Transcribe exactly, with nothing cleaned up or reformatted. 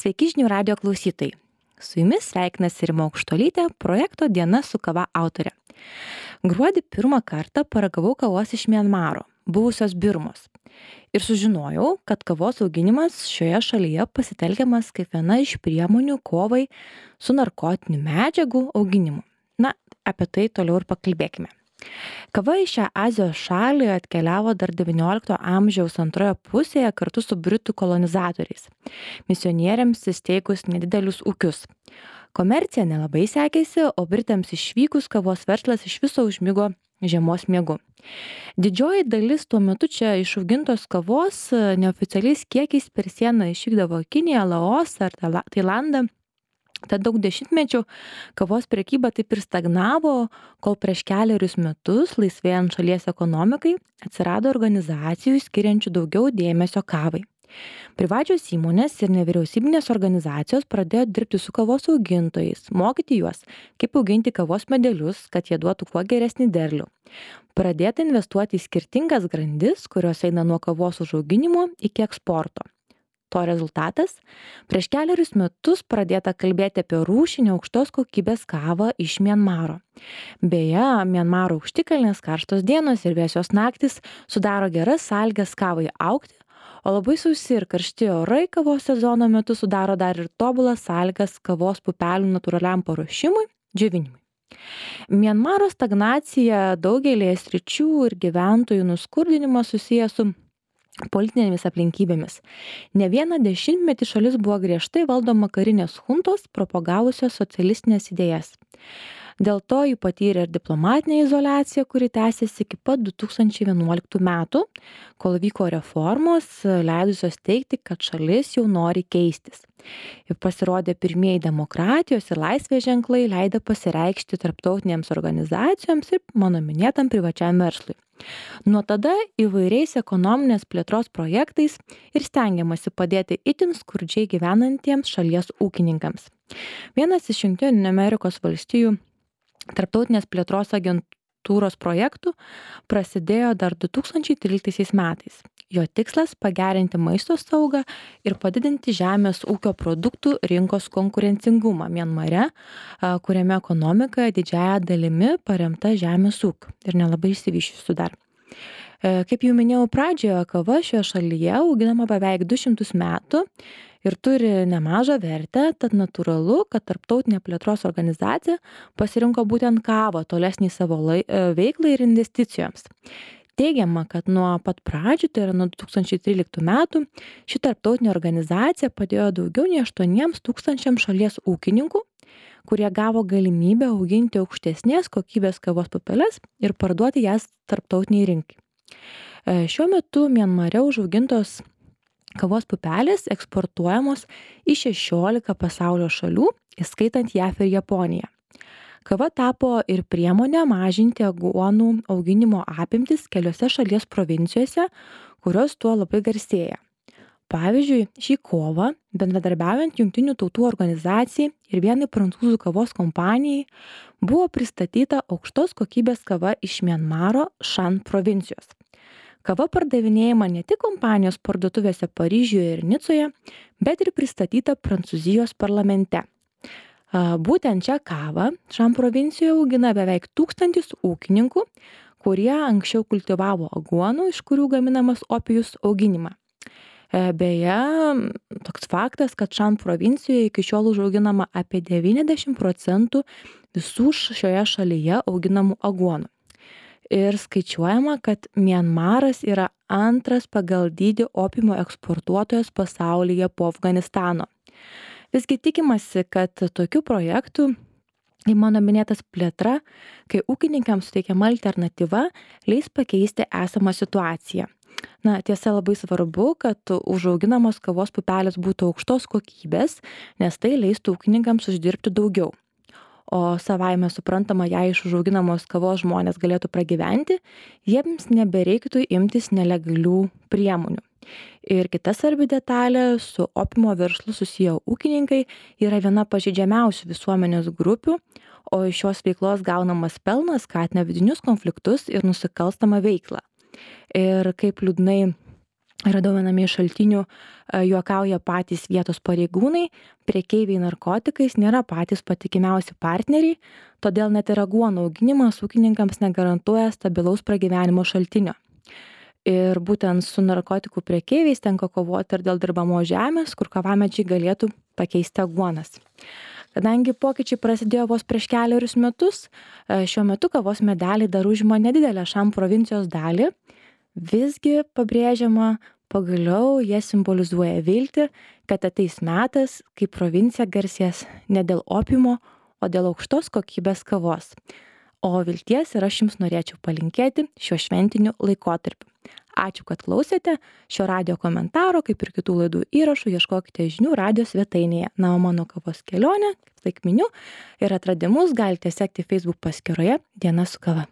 Sveiki žinių radio klausytojai. Su jumis sveikinasi Rima Aukštuolytė, projekto Diena su kava autorė. Gruodį pirmą kartą paragavau kavos iš Mianmaro, buvusios Birmos. Ir sužinojau, kad kavos auginimas šioje šalyje pasitelkiamas kaip viena iš priemonių kovai su narkotinių medžiagų auginimu. Na, apie tai toliau ir pakalbėkime. Kava į šią Azijos šalį atkeliavo dar devyniolikto amžiaus antroje pusėje kartu su britų kolonizatoriais, misionieriams įsteigus nedidelius ūkius. Komercija nelabai sekėsi, o britams išvykus kavos verslas iš viso užmigo žiemos miegu. Didžioji dalis tuo metu čia išaugintos kavos neoficialiais kiekiais per sieną išvykdavo į Kiniją, Laosą ar Tailandą. Tad daug dešimtmečių kavos prekyba taip ir stagnavo, kol prieš kelerius metus, laisvėjant šalies ekonomikai, atsirado organizacijų skiriančių daugiau dėmesio kavai. Privačios įmonės ir nevyriausybinės organizacijos pradėjo dirbti su kavos augintojais, mokyti juos, kaip auginti kavos medelius, kad jie duotų kuo geresnį derlių. Pradėta investuoti į skirtingas grandis, kurios eina nuo kavos užauginimo iki eksporto. To rezultatas – prieš kelerius metus pradėta kalbėti apie rūšinę aukštos kokybės kavą iš Mianmaro. Beje, Mianmaro aukštikalnės karštos dienos ir vėsios naktis sudaro geras sąlygas kavai augti, o labai sausi ir karšti orai kavos sezono metu sudaro dar ir tobulas sąlygas kavos pupelių natūraliam paruošimui, džiovinimui. Mianmaro stagnacija daugelėje sričių ir gyventojų nuskurdinimas susijęs su politinėmis aplinkybėmis. Ne vieną dešimtmetį šalis buvo griežtai valdoma karinės chuntos, propagavusios socialistinės idėjas. Dėl to ji patyrė ir diplomatinę izoliaciją, kuri tęsėsi iki pat du tūkstančiai vienuoliktų metų, kol vyko reformos, leidusios teigti, kad šalis jau nori keistis. Ir pasirodė pirmieji demokratijos ir laisvės ženklai, leidę pasireikšti tarptautinėms organizacijoms ir mano minėtam privačiam verslui. Nuo tada įvairiais ekonominės plėtros projektais ir stengiamasi padėti itin skurdžiai gyvenantiems šalies ūkininkams. Vienas iš Jungtinių Amerikos valstijų tarptautinės plėtros agentūros projektų prasidėjo dar du tūkstančiai tryliktaisiais metais. Jo tikslas – pagerinti maisto saugą ir padidinti žemės ūkio produktų rinkos konkurencingumą Mianmare, kuriame ekonomika didžiąja dalimi paremta žemės ūkiu ir nelabai išsivysčiusiu dar. Kaip jau minėjau pradžioje, kava šioje šalyje auginama beveik du šimtus metų ir turi nemažą vertę, tad natūralu, kad tarptautinė plėtros organizacija pasirinko būtent kavą tolesnį savo lai, veiklai ir investicijoms. Teigiama, kad nuo pat pradžių, tai yra nuo du tūkstančiai tryliktų metų, ši tarptautinė organizacija padėjo daugiau nei aštuoniems tūkstančiams šalies ūkininkų, kurie gavo galimybę auginti aukštesnės kokybės kavos pupeles ir parduoti jas tarptautiniai rinkai. Šiuo metu Mianmare užaugintos kavos pupelės eksportuojamos į šešiolika pasaulio šalių, įskaitant J A V ir Japoniją. Kava tapo ir priemonė mažinti aguonų auginimo apimtis keliose šalies provincijose, kurios tuo labai garsėja. Pavyzdžiui, šį kovą, bendradarbiaujant Jungtinių tautų organizacijai ir vienai prancūzų kavos kompanijai, buvo pristatyta aukštos kokybės kava iš Mianmaro Šan provincijos. Kava pardavinėjama ne tik kompanijos parduotuvėse Paryžiuje ir Nicoje, bet ir pristatyta Prancūzijos parlamente. Būtent čia kavą Šan provincijoje augina beveik tūkstantis ūkininkų, kurie anksčiau kultivavo aguonų, iš kurių gaminamas opijus auginimą. Beje, toks faktas, kad Šan provincijoje iki šiol užauginama apie devyniasdešimt procentų visų šioje šalyje auginamų aguonų. Ir skaičiuojama, kad Mianmaras yra antras pagal dydį opimo eksportuotojas pasaulyje po Afganistano. Visgi tikimasi, kad tokių projektų, į mano minėtas plėtra, kai ūkininkams suteikiama alternatyva, leis pakeisti esamą situaciją. Na, tiesa, labai svarbu, kad užauginamos kavos pupelės būtų aukštos kokybės, nes tai leistų ūkininkams uždirbti daugiau. O savaime suprantama, jei iš užauginamos kavos žmonės galėtų pragyventi, jiems nebereiktų imtis nelegalių priemonių. Ir kita svarbi detalė, su opimo verslu susiję ūkininkai yra viena pažeidžiamiausių visuomenės grupių, o iš šios veiklos gaunamas pelnas skatina vidinius konfliktus ir nusikalstamą veiklą. Ir kaip liūdnai radau viename iš šaltinių, juokauja patys vietos pareigūnai, prekeiviai narkotikais nėra patys patikimiausi partneriai, todėl net ir aguonų auginimas ūkininkams negarantuoja stabilaus pragyvenimo šaltinio. Ir būtent su narkotikų prekeiviais tenka kovoti ir dėl dirbamos žemės, kur kavamedžiai galėtų pakeisti aguonas. Kadangi pokyčiai prasidėjo vos prieš kelerius metus, šiuo metu kavos medeliai dar užima nedidelę Šam provincijos dalį, visgi pabrėžiama, pagaliau jie simbolizuoja viltį, kad ateis metas, kai provincija garsės ne dėl opiumo, o dėl aukštos kokybės kavos. O vilties ir aš jums norėčiau palinkėti šiuo šventiniu laikotarpiu. Ačiū, kad klausėte. Šio radijo komentaro, kaip ir kitų laidų įrašų, ieškokite žinių radijo svetainėje. Na, o mano kavos kelionę, kaip miniu, ir atradimus galite sekti Facebook paskyroje Diena su kava.